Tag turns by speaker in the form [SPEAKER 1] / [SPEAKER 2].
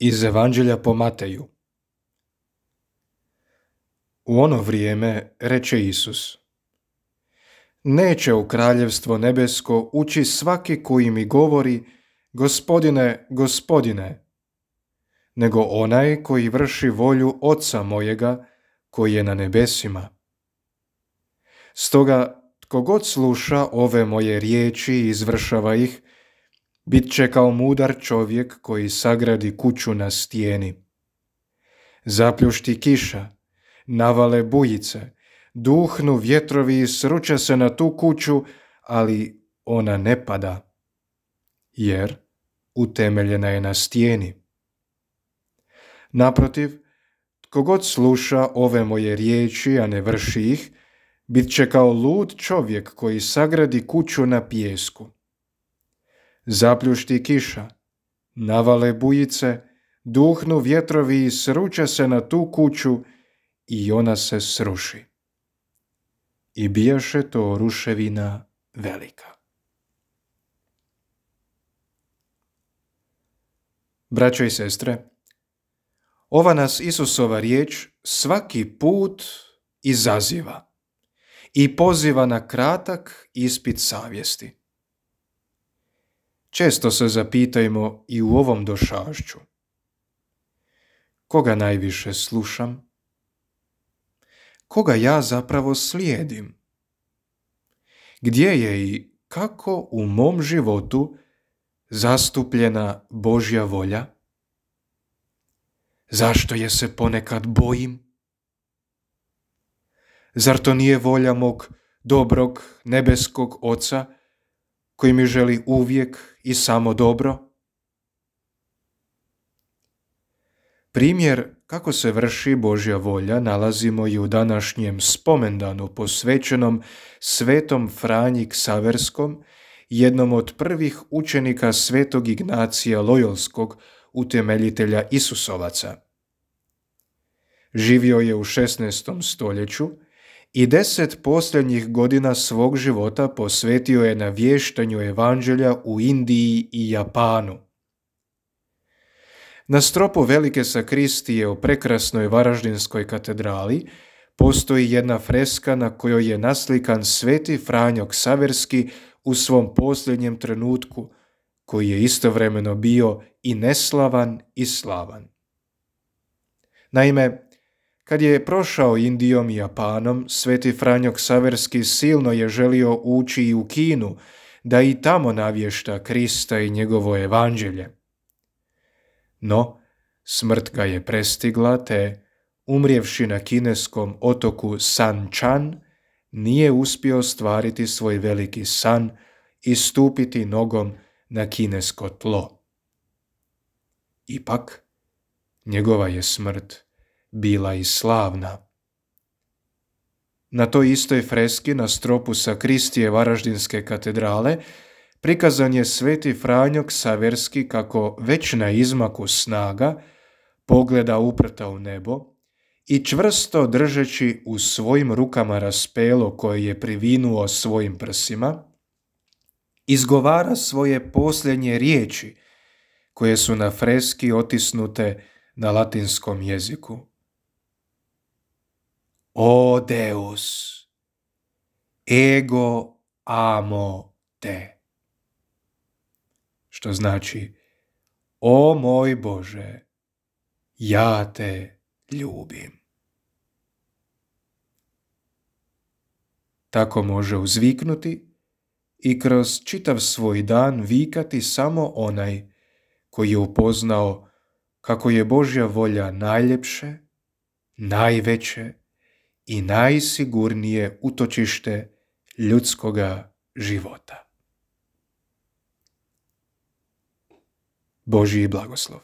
[SPEAKER 1] Iz Evanđelja po Mateju. U ono vrijeme reče Isus: Neće u kraljevstvo nebesko ući svaki koji mi govori Gospodine, Gospodine, nego onaj koji vrši volju Oca mojega koji je na nebesima. Stoga tko god sluša ove moje riječi i izvršava ih, bit će kao mudar čovjek koji sagradi kuću na stijeni. Zapljušti kiša, navale bujice, duhnu vjetrovi i sruče se na tu kuću, ali ona ne pada, jer utemeljena je na stijeni. Naprotiv, tko god sluša ove moje riječi, a ne vrši ih, bit će kao lud čovjek koji sagradi kuću na pijesku. Zapljušti kiša, navale bujice, duhnu vjetrovi i sruče se na tu kuću i ona se sruši. I bijaše to ruševina velika. Braćo i sestre, ova nas Isusova riječ svaki put izaziva i poziva na kratak ispit savjesti. Često se zapitajmo i u ovom došašću: koga najviše slušam? Koga ja zapravo slijedim? Gdje je i kako u mom životu zastupljena Božja volja? Zašto je se ponekad bojim? Zar to nije volja mog dobrog nebeskog Oca koji mi želi uvijek i samo dobro? Primjer kako se vrši Božja volja nalazimo i u današnjem spomendanu posvećenom svetom Franji Ksaverskom, jednom od prvih učenika svetog Ignacija Lojolskog, utemeljitelja Isusovaca. Živio je u 16. stoljeću i 10 posljednjih godina svog života posvetio je navještanju evanđelja u Indiji i Japanu. Na stropu velike sakristije u prekrasnoj Varaždinskoj katedrali postoji jedna freska na kojoj je naslikan sveti Franjo Ksaverski u svom posljednjem trenutku, koji je istovremeno bio i neslavan i slavan. Naime, kad je prošao Indijom i Japanom, sveti Franjo Ksaverski silno je želio ući i u Kinu, da i tamo navješta Krista i njegovo evanđelje. No, smrt ga je prestigla, te, umrijevši na kineskom otoku San Chan, nije uspio ostvariti svoj veliki san i stupiti nogom na kinesko tlo. Ipak, njegova je smrt bila i slavna. Na toj istoj freski na stropu sakristije Varaždinske katedrale prikazan je sveti Franjo Ksaverski kako već na izmaku snaga pogleda uprta u nebo i čvrsto držeći u svojim rukama raspelo koje je privinuo svojim prsima, izgovara svoje posljednje riječi koje su na freski otisnute na latinskom jeziku. O Deus, ego amo te. Što znači: o moj Bože, ja te ljubim. Tako može uzviknuti i kroz čitav svoj dan vikati samo onaj koji je upoznao kako je Božja volja najljepše, najveće i najsigurnije utočište ljudskoga života. Božji blagoslov.